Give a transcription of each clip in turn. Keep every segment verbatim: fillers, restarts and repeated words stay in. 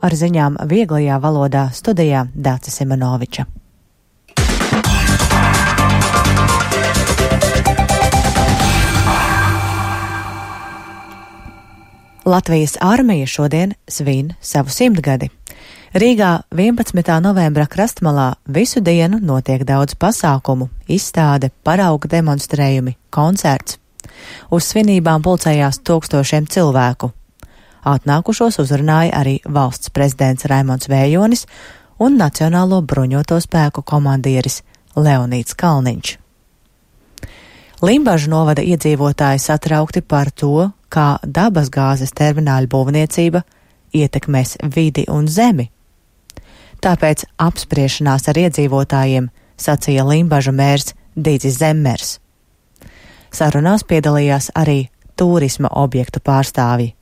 ar ziņām vieglajā valodā studijā Dāca Simonoviča. Latvijas armija šodien svin savu simtgadi. Rīgā vienpadsmitā novembra krastmalā visu dienu notiek daudz pasākumu, izstāde, parauga demonstrējumi, koncerts. Uz svinībām pulcējās tūkstošiem cilvēku. Atnākušos uzrunāja arī valsts prezidents Raimonds Vējonis un Nacionālo bruņoto spēku komandieris Leonīds Kalniņš. Limbažu novada iedzīvotāji satraukti par to, kā dabasgāzes termināļu būvniecība ietekmēs vidi un zemi. Tāpēc apspriešanās ar iedzīvotājiem sacīja Limbažu mērs Dīdzis Zemmers. Sarunās piedalījās arī turisma objektu pārstāvji.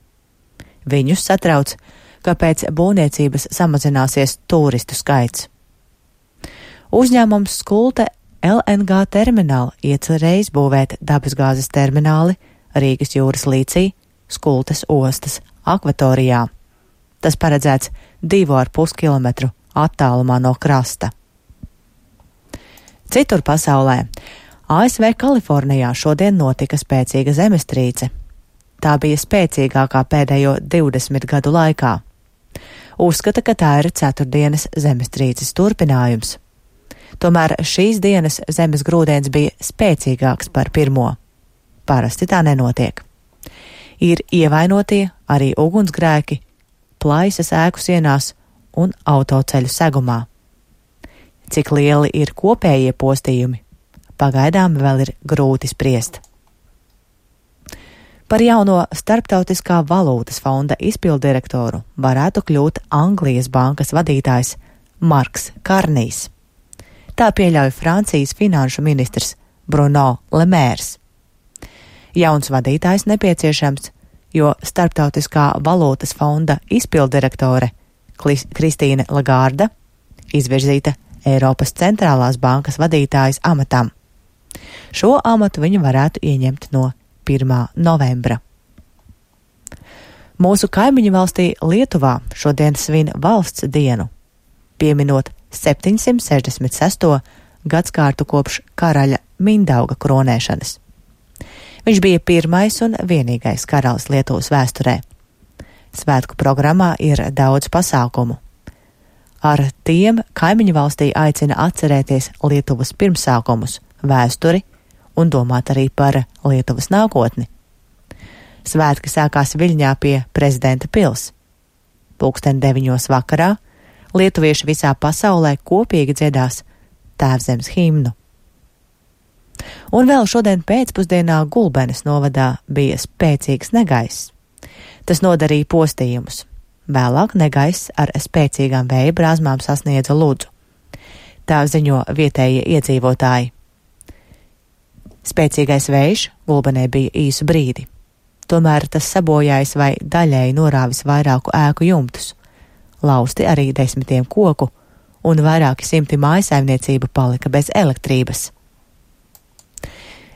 Viņus satrauc, ka pēc būvniecības samazināsies turistu skaits. Uzņēmums Skulte L N G termināli iecerējis būvēt dabasgāzes termināli Rīgas jūras līcī, Skultes ostas akvatorijā. Tas paredzēts divu ar pus kilometru attālumā no krasta. Citur pasaulē A S V Kalifornijā šodien notika spēcīga zemestrīce. Tā bija spēcīgākā pēdējo divdesmit gadu laikā. Uzskata, ka tā ir ceturtdienas zemestrīces turpinājums. Tomēr šīs dienas zemes grūdiens bija spēcīgāks par pirmo. Parasti tā nenotiek. Ir ievainotie arī ugunsgrēki, plaisas ēku sienās un autoceļu segumā. Cik lieli ir kopējie postījumi, pagaidām vēl ir grūti spriest. Par jauno Starptautiskā valūtas fonda izpilddirektoru varētu kļūt Anglijas bankas vadītājs Marks Karnijs. Tā pieļauj Francijas finanšu ministrs Bruno Le Maires. Jauns vadītājs nepieciešams, jo Starptautiskā valūtas fonda izpilddirektore Kristīne Lagarde izvirzīta Eiropas centrālās bankas vadītājas amatam. Šo amatu viņa varētu ieņemt no pirmā novembra. Mūsu kaimiņu valstī Lietuvā šodien svin valsts dienu, pieminot septiņsimt sešdesmit sesto gadskārtu kopš karaļa Mindauga kronēšanas. Viņš bija pirmais un vienīgais karalis Lietuvas vēsturē. Svētku programmā ir daudz pasākumu. Ar tiem kaimiņu valstī aicina atcerēties Lietuvas pirmsākumus, vēsturi un domāt arī par Lietuvas nākotni. Svētki sākās Viļņā pie prezidenta pils. Pulksten deviņos vakarā lietuvieši visā pasaulē kopīgi dziedās Tēvzemes himnu. Un vēl šodien pēcpusdienā Gulbenes novadā bija spēcīgs negaiss. Tas nodarīja postījumus. Vēlāk negaiss ar spēcīgām vēja brāzmām sasniedza Ludzu. Tā ziņo vietējie iedzīvotāji. Spēcīgais vējš Gulbenē bija īsu brīdi. Tomēr tas sabojājis vai daļēji norāvis vairāku ēku jumtus. Lausti arī desmitiem koku un vairāki simti mājasaimniecību palika bez elektrības.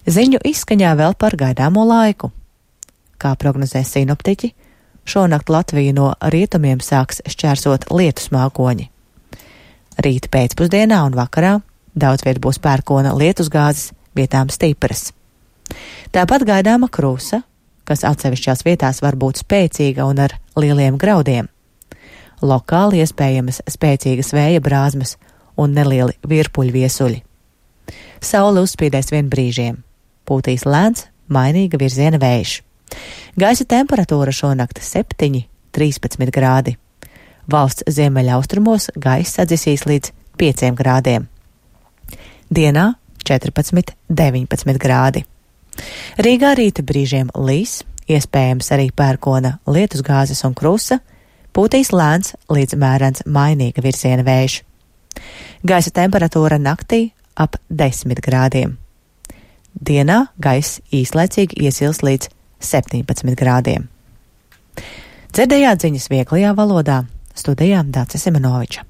Ziņu izskaņā vēl par gaidāmo laiku. Kā prognozē sinoptiķi, šonakt Latviju no rietumiem sāks šķērsot lietus mākoņi. Rīt pēcpusdienā un vakarā daudz viet būs pērkona lietusgāzes, vietām stipras. Tāpat gaidāma krusa, kas atsevišķās vietās var būt spēcīga un ar lieliem graudiem. Lokāli iespējamas spēcīgas vēja brāzmas un nelieli virpuļu viesuļi. Saule uzspīdēs vien brīžiem. Pūtīs lēns, mainīga virziena vējš. Gaisa temperatūra šonakt septiņi līdz trīspadsmit grādi. Valsts ziemeļaustrumos gaiss sadzisīs līdz pieciem grādiem. Dienā četrpadsmit līdz deviņpadsmit grādi. Rīgā rīta brīžiem līs, iespējams arī pērkona lietusgāzes un krusa, pūtīs lēns līdz mērens mainīga virziena vējš. Gaisa temperatūra naktī ap desmit grādiem. Dienā gaiss īslaicīgi iesils līdz septiņpadsmit grādiem. Dzirdējāt ziņas vieglajā valodā, studijā Dāca Simonoviča.